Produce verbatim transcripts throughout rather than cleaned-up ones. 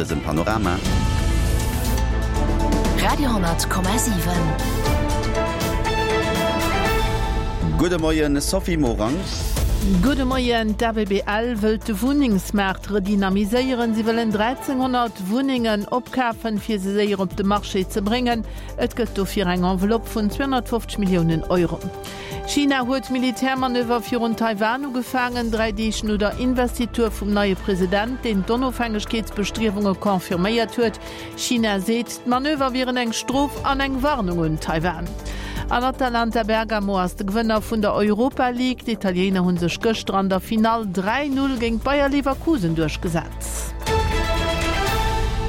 dësem Panorama. Radio hundert Komma siwen. Gudde Moien Sophie Morang. Gudde Moien, D'ABBL wëllt de Wunnengsmaart redynamiséieren. Si wëllen dräizénghonnert Wunnengen opkafen, fir se séier op de Marché ze bréngen. Et gëtt dofir eng Enveloppe vun zweehonnertfofzeg Milliounen Euro. China huet Militärmanöver virun Taiwan ugefaangen, dräi Deeg no der Investitur vum neie President, deen d'Onofhängegkeetsbestriewunge confirméiert huet. China seet, d'Manöver wieren eng Strof an eng Warnung un Taiwan. An Atalanta Bergamo ass de Gewënner vun der Europa League. D'Italiener hu sech gëschter an der Finall dräi Null géint Bayer Leverkusen duerchgesat.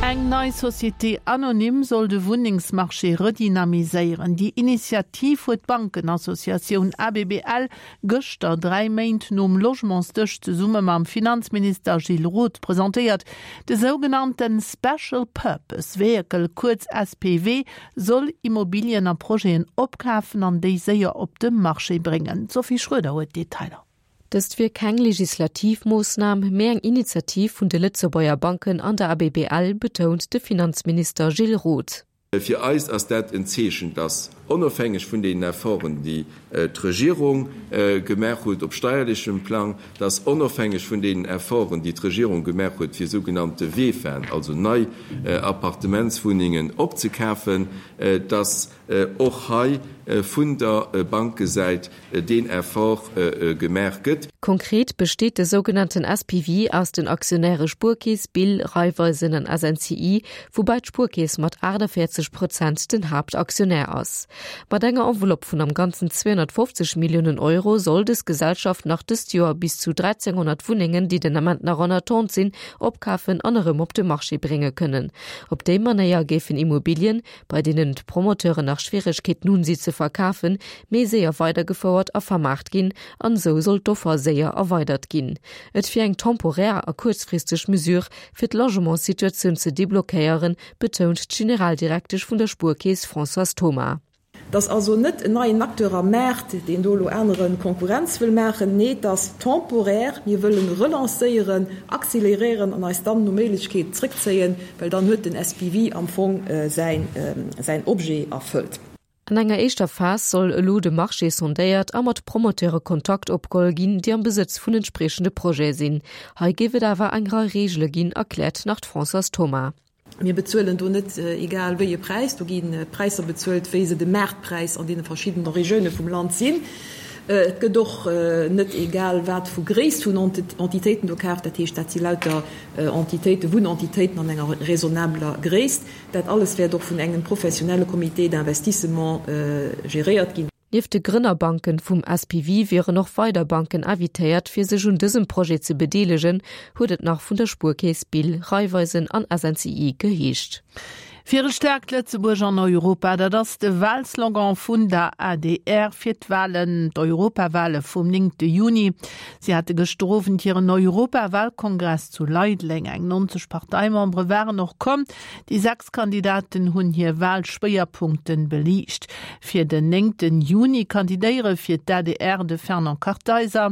Eng nei Société anonyme soll de Wunnengsmarché redynamiséieren. Déi Initiativ huet d'Bankenassociatioun A B B L gëschter, dräi Méint nom Logementsdësch, zesumme mam Finanzminister Gilles Roth presentéiert. De sougenannte Special Purpose Vehicle, kuerz S P V, soll Immobilien a Projeten opkafen an déi séier op de Marché bréngen. D'Sophie Schroeder huet d'Detailer. Dëst wier keng legislativ Moossnam, mee eng Initiativ vun de Lëtzebuerger Banken an der A B B L, betount de Finanzminister Gilles Roth. Fir eis ass dat en Zeechen, dass onofhängeg vun den Efforten, déi d'Regierung gemaach huet op steierlechem Plang, dass onofhängeg vun den Efforten, déi d'Regierung gemaach huet fir sougenannte VEFAen, also nei Appartementswunnengen opzekafen, dass och hei vun der Bankesäit deen Effort gemaach gëtt. Konkret besteet de sougenannten S P V aus den Aktionäre Spuerkeess, B I L, Raiffeisen an S N C I, woubäi d'Spuerkeess mat achtundvéierzeg Prozent den Haaptaktionär ass. Mat enger Enveloppe vun am Ganzen zweehonnertfofzeg Milliounen Euro soll dës Gesellschaft nach dëst Joer bis zu dräizénghonnert Wunnengen, déi den Ament nach en attente sinn, opkafen an erëm op de Marché brénge kënnen. Op déi Manéier géifen Immobilien, bei deenen d'Promoteuren nach Schwieregkeeten hunn, si ze verkafen, méi séier weidergefouert a vermaart ginn an esou soll d'Offer séier erweidert ginn. Et wier eng temporär a kuerzfristeg Mesure fir d'Logementssituatioun ze deblockéieren, betount d'Generaldirektesch vun der Spuerkeess Françoise Thoma. Et ass also net en neien Acteur am Maart, deen do elo anere Konkurrenz wëll maachen. Nee, et ass temporär. Mir wëllen relancéieren, acceleréieren an eis dann no Méiglechkeet zrëckzéien, well dann huet den S P V am Fong säin säin Objet erfëllt. An enger éischter Phas soll elo de Marché sondéiert a mat Promoteure Kontakt opgeholl ginn, déi am Besëtz vun entspriechende Projete sinn. Hei géif et awer eng Rei Reegele ginn, erkläert nach d'Françoise Thoma. Mir bezuelen do net egal wéi e Präis, do gi Präisser bezuelt, wéi se de Maartpräis an deene verschiddene Regioune vum Land sinn. Et gëtt och net egal wat vu Gréisst vun Entitéiten do kaaft, dat heescht, dat si lauter Entitéiten, Wunnentitéiten an enger raisonnabeler Gréisst. Dat alles wäert och vun engem professionelle Comité d'investissement geréiert ginn. Nieft de Grënnerbanken vum S P V wieren och weider Banken invitéiert, fir sech un dësem Projet ze bedeelegen, huet et nach vun der Spuerkeess, B I L, Raiffeisen an S N C I geheescht. Fir e staarkt Lëtzebuerg an Europa, dat ass de Walslogan vun der A D R fir d'Walen, d'Europawale vum néngte Juni. Si hate gëschter Owend hiren Europawalkongress zu Leideleng. Eng neunzeg Parteimembere waren och komm. Déi sechs Kandidaten hunn hir Walschwéierpunkten beliicht. Fir den néngte Juni kandidéiere fir d'A D R de Fernand Kartheiser,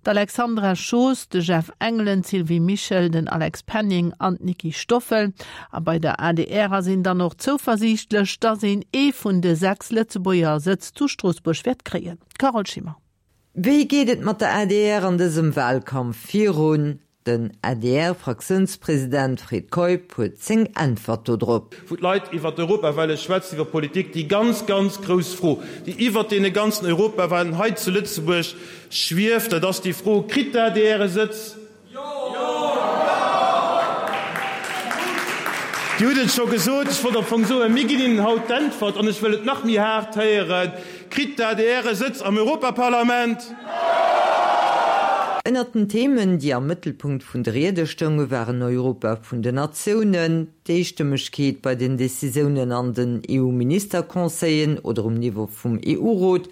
d'Alexandra Schoos, de Jeff Engelen, d'Sylvie Mischel, den Alex Penning an d'Niki Stoffel. A bei der A D R ass een dann och zouversiichtlech, dass een ee vun de sechs Lëtzebuerger Sëtz zu Stroossbuerg wäert kréien. Carole Schimmer. Wéi geet et mat der A D R an dësem Walkampf virun? Den A D R-Fraktiounspresident Fred Keup huet seng Äntwert dodrop. Wou d'Leit iwwer d'Europawale schwätzen, iwwer Politik, déi ganz, ganz grouss Fro, déi iwwer deene ganzen Europawalen hei zu Lëtzebuerg schwieft, dat ass déi Fro, Kritt d'A D R e Sëtz? Jo! Dir hutt et scho gesot, ech wollt am Fong soen, mir ginn Ihnen haut d'Äntwert, an ech wëll et nach méi haart héieren, Kritt d'A D R e Sëtz am Europaparlament? Ënnert den Themen, déi am Mëttelpunkt vun de Riede stounge waren Europa vun den Natiounen, d'Eestëmmegkeet bei den Decisiounen an den E U-Ministerconseillen oder um Niveau vum E U-Rot.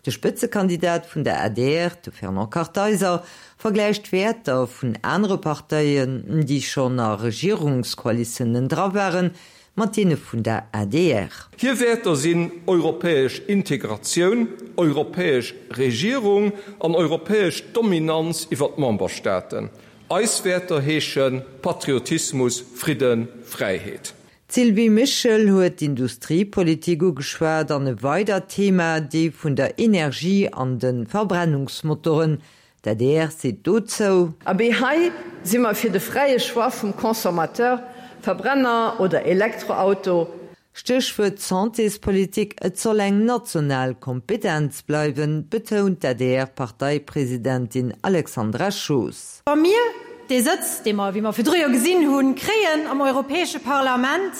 De Spëtzekandidat vun der A D R, de Fernand Kartheiser, vergläicht Wäerter vun anere Parteien, déi schonn a Regierungskoalitiounen dra waren, mat deene vun der A D R. Hir Wäerter sinn europäesch Integratioun, europäesch Regierung an europäesch Dominanz iwwer d'Memberstaaten. Eis Wäerter heesche Patriotismus, Fridden, Fräiheet. D'Sylvie Mischel huet d'Industriepolitik ugeschwat an e weidert Thema, déi vun der Energie an de Verbrennungsmotoren. D'adr seet dozou. Abee, hei si mer fir de fräie Choix vum Consommateur, Verbrenner oder Elektroauto. Stéchwuert Santéspolitik, Et soll eng national Kompetenz bleiwen, betount d'ADR-Parteipresidentin Alexandra Schoos. Wa mir dee Sëtz, dee mer, wéi mer virdru jo gesinn hunn, kréien am Europäesche Parlament,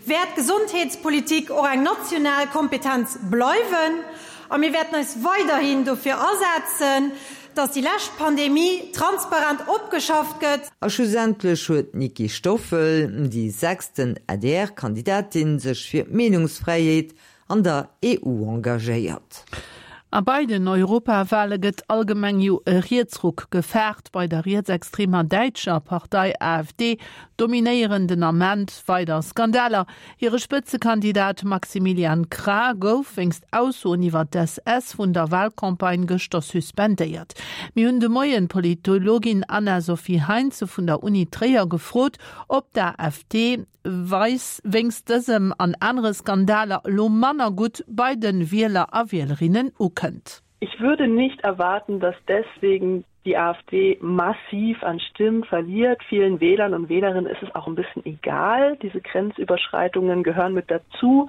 wäert d'Gesondheetspolitik och eng national Kompetenz bleiwen a mir wäerten eis weiderhin dofir asetzen, dass déi lescht Pandemie transparent opgeschafft gëtt. A schlussendlech huet d'Niki Stoffel, déi sechsten ADR-Kandidatin, sech fir d'Meenungsfräiheet an der EU engagéiert. A bei den Europawale gëtt allgemeng jo e Rietsruck gefaart. Bei der rietsextremer däitscher Partei AfD dominéieren den Ament weider Skandaler. Hire Spëtzekandidat Maximilian Krah gouf wéinst Aussoen iwwer d'SS vun der Walcampagne gëschter suspendéiert. Mir hunn de Moien d'Politologin Anna-Sophie Heinze vun der Uni Tréier gefrot, ob d'AfD weis wéinst dësem an anere Skandaler elo manner gutt bei de Wieler a Wielerinnen ukënnt. Ich würde nicht erwarten, dass deswegen die AfD massiv an Stimmen verliert. Vielen Wählern und Wählerinnen ist es auch ein bisschen egal. Diese Grenzüberschreitungen gehören mit dazu.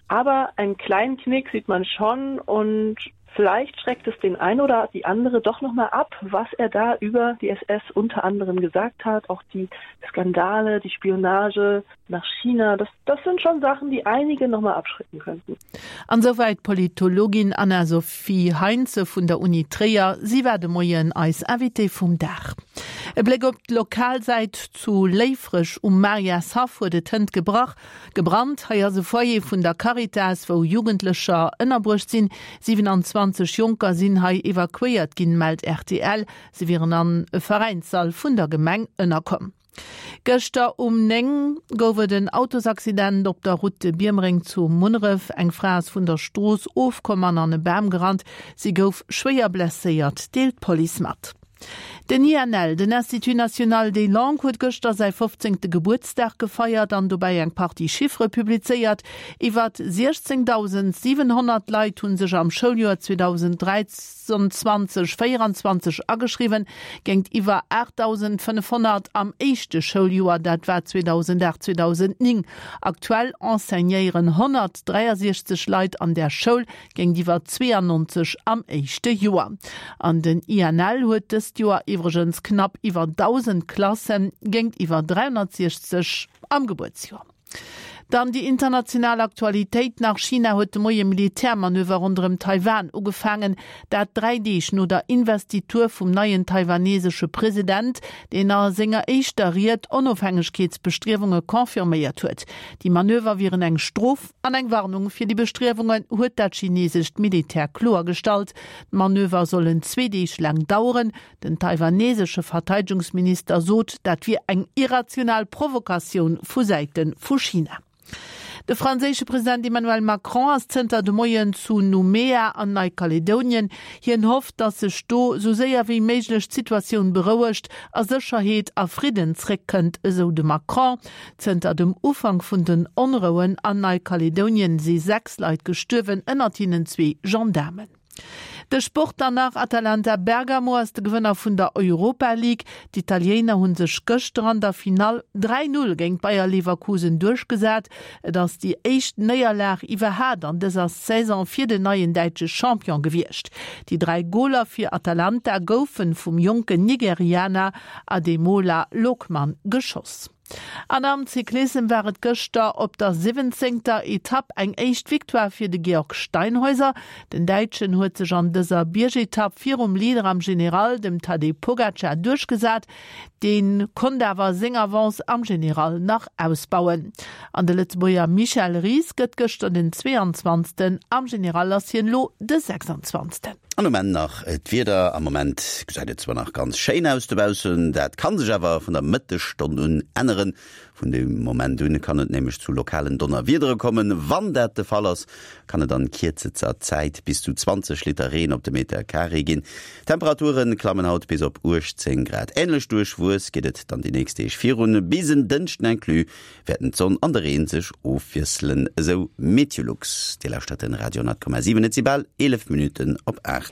Aber einen kleinen Knick sieht man schon und vielleicht schreckt es den einen oder die andere doch noch mal ab, was er da über die SS unter anderem gesagt hat. Auch die Skandale, die Spionage nach China, das, das sind schon Sachen, die einige noch mal abschrecken könnten. An souwäit d'Politologin Anna-Sophie Heinze vun der Uni Tréier. Si war de Moien eis Invitée vum Dag. E Bléck op d'Lokalsäit, Zu Léifreg um Mariashaff huet et hënt gebrach, gebrannt. Hei ass e Foyer vun der Caritas, wou Jugendlecher ënnerbruecht sinn. siewenundzwanzeg Jonker sinn hei evakuéiert ginn, mellt rtl. Si wieren an e Veräinssall vun der Gemeng ënnerkomm. Gëschter um néng gouf et en Autosaccident op der Route de Biermereng zu Munneref. Eng Fra ass vun der Strooss ofkomm an an e Bam gerannt. Si gouf schwéier blesséiert, deelt d'Police mat. Den I N L, den Institut National des Langues, huet gëschter säi fofzéngte Gebuertsdag gefeiert an dobäi eng Partie Chiffere publizéiert. Iwwer siechzéngdausendsiwenhonnert Leit hu sech am Schouljoer zweedausenddräianzwanzeg véieranzwanzeg ageschriwwen, géint iwwer aachtdausendfënnefhonnert am éischte Schouljoer, dat war zweedausendacht zweedausendnéng. Aktuell enseignéieren honnertdräiasiechzeg Leit an där Schoul, géint iwwer zweeannonzeg am éischte Joer. An den I N L huet dëst Joer iwwregens knapp iwwer dausend Klassen, géint iwwer dräihonnertsiechzeg am Gebuertsjoer. Dann déi international Aktualitéit nach, China huet de Moie Militärmanöver ronderëm Taiwan ugefaangen, dat dräi Deeg no der Investitur vum neien taiwanesesche President, deen a senger éischter Ried Onofhängegkeetsbestriewunge confirméiert huet. Déi Manöver wieren eng Strof an eng Warnung fir déi Bestriewungen, huet dat chinesescht Militär kloergestallt. D'Manöver sollen zwee Deeg laang daueren. Den taiwanesesche Verteidegungsminister sot, dat wier eng irrational Provokatioun vu Säite vu China. De franséische President Emmanuel Macron ass zënter de Moien zu Nouméa an Neikaledonien. Hien hofft, datt sech do sou séier wéi méiglech d'Situatioun berouegt a Sécherheet a Fridden zréckkënnt, esou de Macron. Zënter dem Ufank vun den Onrouen an Neikaledonien si sechs Leit gestuerwen, ënnert hinnen zwee Gendaarmen. De Sport dann nach, Atalanta Bergamo ass de Gewënner vun der Europa League. D'Italiener hu sech gëschter an der Finall dräi Null géint Bayer Leverkusen duerchgesat. Et ass déi éischt Néierlag iwwerhat an dëser Saison fir den neien däitsche Champion gewiescht. Déi dräi Goler fir Atalanta goufe vum jonken Nigerianer Ademola Lookman geschoss. An am Cyclissem war et gëschter op der siwwenzéngter Etapp eng éischt Victoire fir de Georg Steinhäuser. Den Däitschen huet sech an dëser Biergetapp virum Leader am General, dem Tadej Pogacar, duerchgesat. Dee konnt awer seng Avance am General nach ausbauen. An de Lëtzebuerger Michel Ries gëtt gëschter den zweeanzwanzegsten. Am General ass hien elo de sechsanzwanzegsten. An um Enn nach d'Wieder, Am Moment gesäit et zwar nach ganz schéin aus dobaussen, dat kann sech awer vun der Mëttesstonn un änneren. Vun deem Moment un kann et nämlech zu lokalen Donnerwiedere kommen. Wann dat de Fall ass, kann et an kierzester Zäit bis zu zwanzeg Liter Reen op de Meter Carré ginn. D'Temperature klammen haut bis op uechtzéng Grad. Änlech duerchwuess geet et dann déi nächst Deeg virun. Bis en Dënschden inclus wäerten d'Sonn an de Reen sech ofwiesselen, esou Meteolux. Dir lauschtert den Radio honnert Komma siwen, et si bal eelef Minutten op aacht.